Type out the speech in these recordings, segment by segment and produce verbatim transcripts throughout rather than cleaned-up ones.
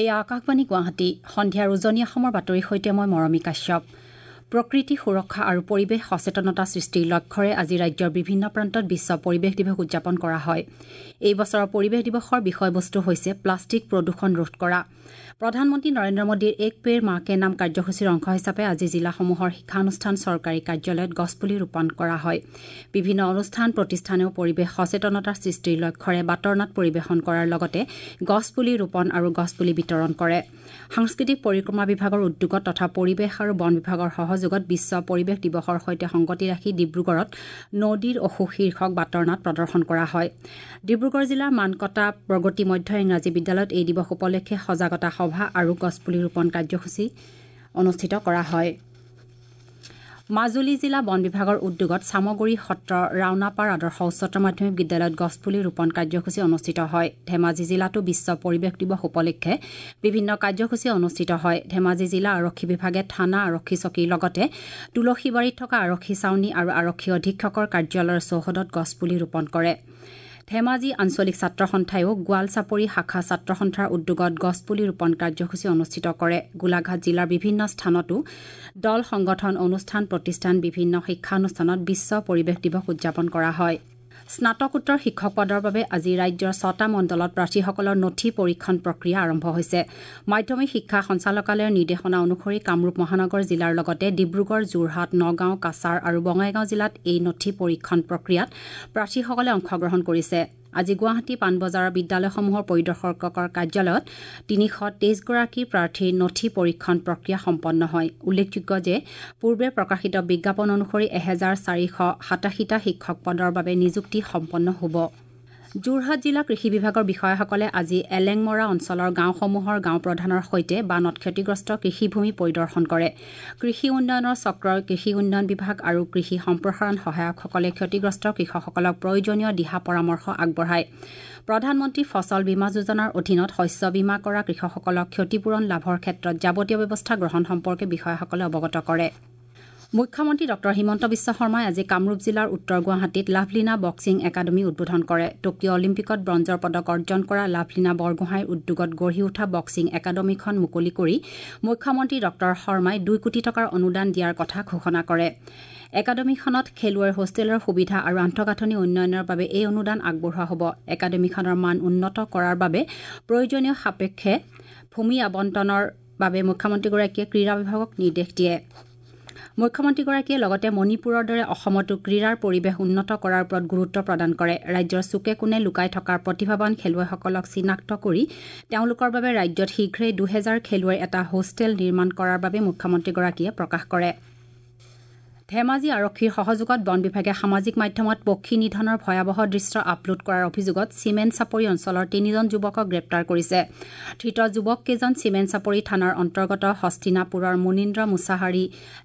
এয়া আকাশবাণী গুৱাহাটী। সন্ধিয়াৰ উজনি অসমৰ বাতৰিৰ সৈতে মই মৰমী কাশ্যপ। প্ৰকৃতি সুৰক্ষা আৰু পৰিৱেশ সচেতনতা সৃষ্টিৰ লক্ষ্যৰে আজি ৰাজ্যৰ বিভিন্ন প্ৰান্তত বিশ্ব পৰিৱেশ দিৱস উদযাপন কৰা হয়। এই বছৰৰ পৰিৱেশ দিৱসৰ বিষয়বস্তু হৈছে প্লাষ্টিক প্ৰদূষণ ৰোধ কৰা। প্ৰধানমন্ত্ৰী নৰেন্দ্ৰ মোদীৰ এক পেড় মা কে নাম কাৰ্যসূচীৰ অংশ হিচাপে আজি জিলাসমূহৰ শিক্ষানুষ্ঠান, চৰকাৰী কাৰ্যালয়ত গছপুলি ৰোপণ কৰা হয়। বিভিন্ন অনুষ্ঠান প্ৰতিষ্ঠানেও পৰিৱেশ সচেতনতা সৃষ্টিৰ লক্ষ্যৰে বাটৰ নাট পৰিৱেশন কৰাৰ লগতে গছপুলি ৰোপণ আৰু গছপুলি বিতৰণ কৰে। সাংস্কৃতিক পৰিক্ৰমা বিভাগৰ উদ্যোগত তথা পৰিৱেশ আৰু বন বিভাগৰ সহযোগত বিশ্ব পৰিৱেশ দিৱসৰ সৈতে সংগতি ৰাখি ডিব্ৰুগড়ত নদীৰ অসুখ শীৰ্ষক বাটৰ নাট প্ৰদৰ্শন কৰা হয়। ডিব্ৰুগড় জিলাৰ মানকটা প্ৰগতি মধ্য ইংৰাজী বিদ্যালয়ত এই দিৱস উপলক্ষে সজাগতা সভা আৰু গছপুলি ৰোপণ কাৰ্যসূচী অনুষ্ঠিত কৰা হয়। মাজুলী জিলা বন বিভাগৰ উদ্যোগত চামগুৰি সত্ৰ ৰাওনাপাৰ আদৰ্শ উচ্চতৰ মাধ্যমিক বিদ্যালয়ত গছপুলি ৰোপণ কাৰ্যসূচী অনুষ্ঠিত হয়। ধেমাজি জিলাতো বিশ্ব পৰিৱেশ দিৱস উপলক্ষে বিভিন্ন কাৰ্যসূচী অনুষ্ঠিত হয়। ধেমাজি জিলা আৰক্ষী বিভাগে থানা, আৰক্ষী চকীৰ লগতে তুলসীবাৰীত থকা আৰক্ষী ছাউনী আৰু আৰক্ষী অধীক্ষকৰ কাৰ্যালয়ৰ চৌহদত গছপুলি ৰোপণ কৰে। ধেমাজি আঞ্চলিক ছাত্ৰ সন্থায়ো গোৱালচাপৰি শাখা ছাত্ৰ সন্থাৰ উদ্যোগত গছপুলি ৰোপণ কাৰ্যসূচী অনুষ্ঠিত কৰে। গোলাঘাট জিলাৰ বিভিন্ন স্থানতো দল, সংগঠন, অনুষ্ঠান প্ৰতিষ্ঠান, বিভিন্ন শিক্ষানুষ্ঠানত বিশ্ব পৰিৱেশ দিৱস উদযাপন কৰা হয়। স্নাতকোত্তৰ শিক্ষক পদৰ বাবে আজি ৰাজ্যৰ ছটা মণ্ডলত প্ৰাৰ্থীসকলৰ নথি পৰীক্ষণ প্ৰক্ৰিয়া আৰম্ভ হৈছে। মাধ্যমিক শিক্ষা সঞ্চালকালয়ৰ নিৰ্দেশনা অনুসৰি কামৰূপ মহানগৰ জিলাৰ লগতে ডিব্ৰুগড়, যোৰহাট, নগাঁও, কাছাৰ আৰু বঙাইগাঁও জিলাত এই নথি পৰীক্ষণ প্ৰক্ৰিয়াত প্ৰাৰ্থীসকলে অংশগ্ৰহণ কৰিছে। আজি গুৱাহাটী পাণবজাৰৰ বিদ্যালয়সমূহৰ পৰিদৰ্শকৰ কাৰ্যালয়ত তিনিশ তেইছগৰাকী প্ৰাৰ্থীৰ নথি পৰীক্ষণ প্ৰক্ৰিয়া সম্পন্ন হয়। উল্লেখযোগ্য যে পূৰ্বে প্ৰকাশিত বিজ্ঞাপন অনুসৰি এহেজাৰ চাৰিশ সাতাশীটা শিক্ষক পদৰ বাবে নিযুক্তি সম্পন্ন হ'ব। যোৰহাট জিলা কৃষি বিভাগৰ বিষয়াসকলে আজি এলেংমৰা অঞ্চলৰ গাঁওসমূহৰ গাঁওপ্ৰধানৰ সৈতে বানত ক্ষতিগ্ৰস্ত কৃষিভূমি পৰিদৰ্শন কৰে। কৃষি উন্নয়নৰ চক্ৰৰ কৃষি উন্নয়ন বিভাগ আৰু কৃষি সম্প্ৰসাৰণ সহায়কসকলে ক্ষতিগ্ৰস্ত কৃষকসকলক প্ৰয়োজনীয় দিহা পৰামৰ্শ আগবঢ়ায়। প্ৰধানমন্ত্ৰী ফচল বীমা যোজনাৰ অধীনত শস্য বীমা কৰা কৃষকসকলক ক্ষতিপূৰণ লাভৰ ক্ষেত্ৰত যাৱতীয় ব্যৱস্থা গ্ৰহণ সম্পৰ্কে বিষয়াসকলে অৱগত কৰে। মুখ্যমন্ত্ৰী ডক্টৰ হিমন্ত বিশ্ব শৰ্মাই আজি কামৰূপ জিলাৰ উত্তৰ গুৱাহাটীত লাভলীনা বক্সিং একাডেমী উদ্বোধন কৰে। টকিঅ' অলিম্পিকত ব্ৰঞ্জৰ পদক অৰ্জন কৰা লাভলীনা বৰগোহাঁইৰ উদ্যোগত গঢ়ি উঠা বক্সিং একাডেমীখন মুকলি কৰি মুখ্যমন্ত্ৰী ডক্টৰ শৰ্মাই দুই কোটি টকাৰ অনুদান দিয়াৰ কথা ঘোষণা কৰে। একাডেমীখনত খেলুৱৈৰ হোষ্টেলৰ সুবিধা আৰু আন্তঃগাঁথনি উন্নয়নৰ বাবে এই অনুদান আগবঢ়োৱা হ'ব। একাডেমীখনৰ মান উন্নত কৰাৰ বাবে প্ৰয়োজনীয় সাপেক্ষে ভূমি আবণ্টনৰ বাবে মুখ্যমন্ত্ৰীগৰাকীয়ে ক্ৰীড়া বিভাগক নিৰ্দেশ দিয়ে। মুখ্যমন্ত্ৰীগৰাকীয়ে লগতে মণিপুৰৰ দৰে অসমতো ক্ৰীড়াৰ পৰিৱেশ উন্নত কৰাৰ ওপৰত গুৰুত্ব প্ৰদান কৰে। ৰাজ্যৰ চুকে কোণে লুকাই থকা প্ৰতিভাৱান খেলুৱৈসকলক চিনাক্ত কৰি তেওঁলোকৰ বাবে ৰাজ্যত শীঘ্ৰেই দুহেজাৰ খেলুৱৈৰ এটা হোষ্টেল নিৰ্মাণ কৰাৰ বাবে মুখ্যমন্ত্ৰীগৰাকীয়ে প্ৰকাশ কৰে। ধেমাজি আৰক্ষীৰ সহযোগত বন বিভাগে সামাজিক মাধ্যমত পক্ষী নিধনৰ ভয়াৱহ দৃশ্য আপলোড কৰাৰ অভিযোগত চিমেন চাপৰি অঞ্চলৰ তিনিজন যুৱকক গ্ৰেপ্তাৰ কৰিছে। ধৃত যুৱককেইজন চিমেন চাপৰি থানাৰ অন্তৰ্গত হস্তিনাপুৰৰ মুনীন্দ্ৰ মুছাহাৰী,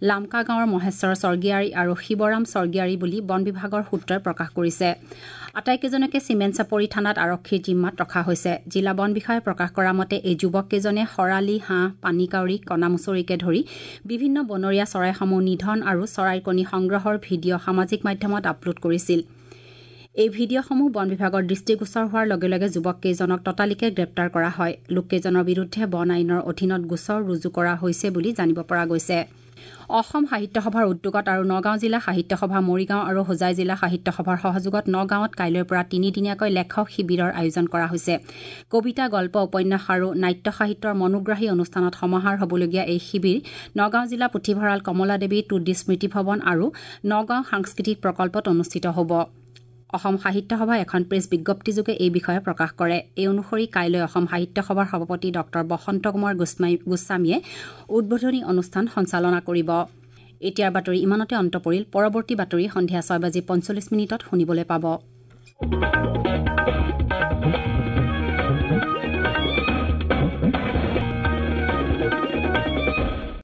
লামকা গাঁৱৰ মহেশ্বৰ স্বৰ্গীয়াৰী আৰু শিৱৰাম স্বৰ্গীয়াৰী বুলি বন বিভাগৰ সূত্ৰই প্ৰকাশ কৰিছে। আটাইকেইজনকে চিমেন চাপৰি থানাত আৰক্ষীৰ জিম্মাত ৰখা হৈছে। জিলা বন বিষয়াই প্ৰকাশ কৰা মতে এই যুৱককেইজনে শৰালি, হাঁহ, পানীকাউৰী, কণামুচৰিকে ধৰি বিভিন্ন বনৰীয়া চৰাইসমূহ নিধন আৰু চৰাইৰ কণী সংগ্ৰহৰ ভিডিঅ' সামাজিক মাধ্যমত আপলোড কৰিছিল। এই ভিডিঅ'সমূহ বন বিভাগৰ দৃষ্টিগোচৰ হোৱাৰ লগে লগে যুৱককেইজনক ততালিকে গ্ৰেপ্তাৰ কৰা হয়। লোককেইজনৰ বিৰুদ্ধে বন আইনৰ অধীনত গোচৰ ৰুজু কৰা হৈছে বুলি জানিব পৰা গৈছে। অসম সাহিত্য সভাৰ উদ্যোগত আৰু নগাঁও জিলা সাহিত্য সভা, মৰিগাঁও আৰু হোজাই জিলা সাহিত্য সভাৰ সহযোগত নগাঁৱত কাইলৈৰ পৰা তিনিদিনীয়াকৈ লেখক শিবিৰৰ আয়োজন কৰা হৈছে। কবিতা, গল্প, উপন্যাস আৰু নাট্য সাহিত্যৰ মনোগ্ৰাহী অনুষ্ঠানত সমাহাৰ হ'বলগীয়া এই শিবিৰ নগাঁও জিলা পুথিভঁৰাল, কমলা দেৱী টুডি স্মৃতি ভৱন আৰু নগাঁও সাংস্কৃতিক প্ৰকল্পত অনুষ্ঠিত হ'ব। অসম সাহিত্য সভাই এখন প্ৰেছ বিজ্ঞপ্তিযোগে এই বিষয়ে প্ৰকাশ কৰে। এই অনুসৰি কাইলৈ অসম সাহিত্য সভাৰ সভাপতি ডক্টৰ বসন্ত কুমাৰ গোস্বামীয়ে উদ্বোধনী অনুষ্ঠান সঞ্চালনা কৰিব। এতিয়াৰ বাতৰি ইমানতে অন্ত পৰিল। পৰৱৰ্তী বাতৰি সন্ধিয়া ছয় বাজি পঞ্চল্লিছ মিনিটত শুনিবলৈ পাব।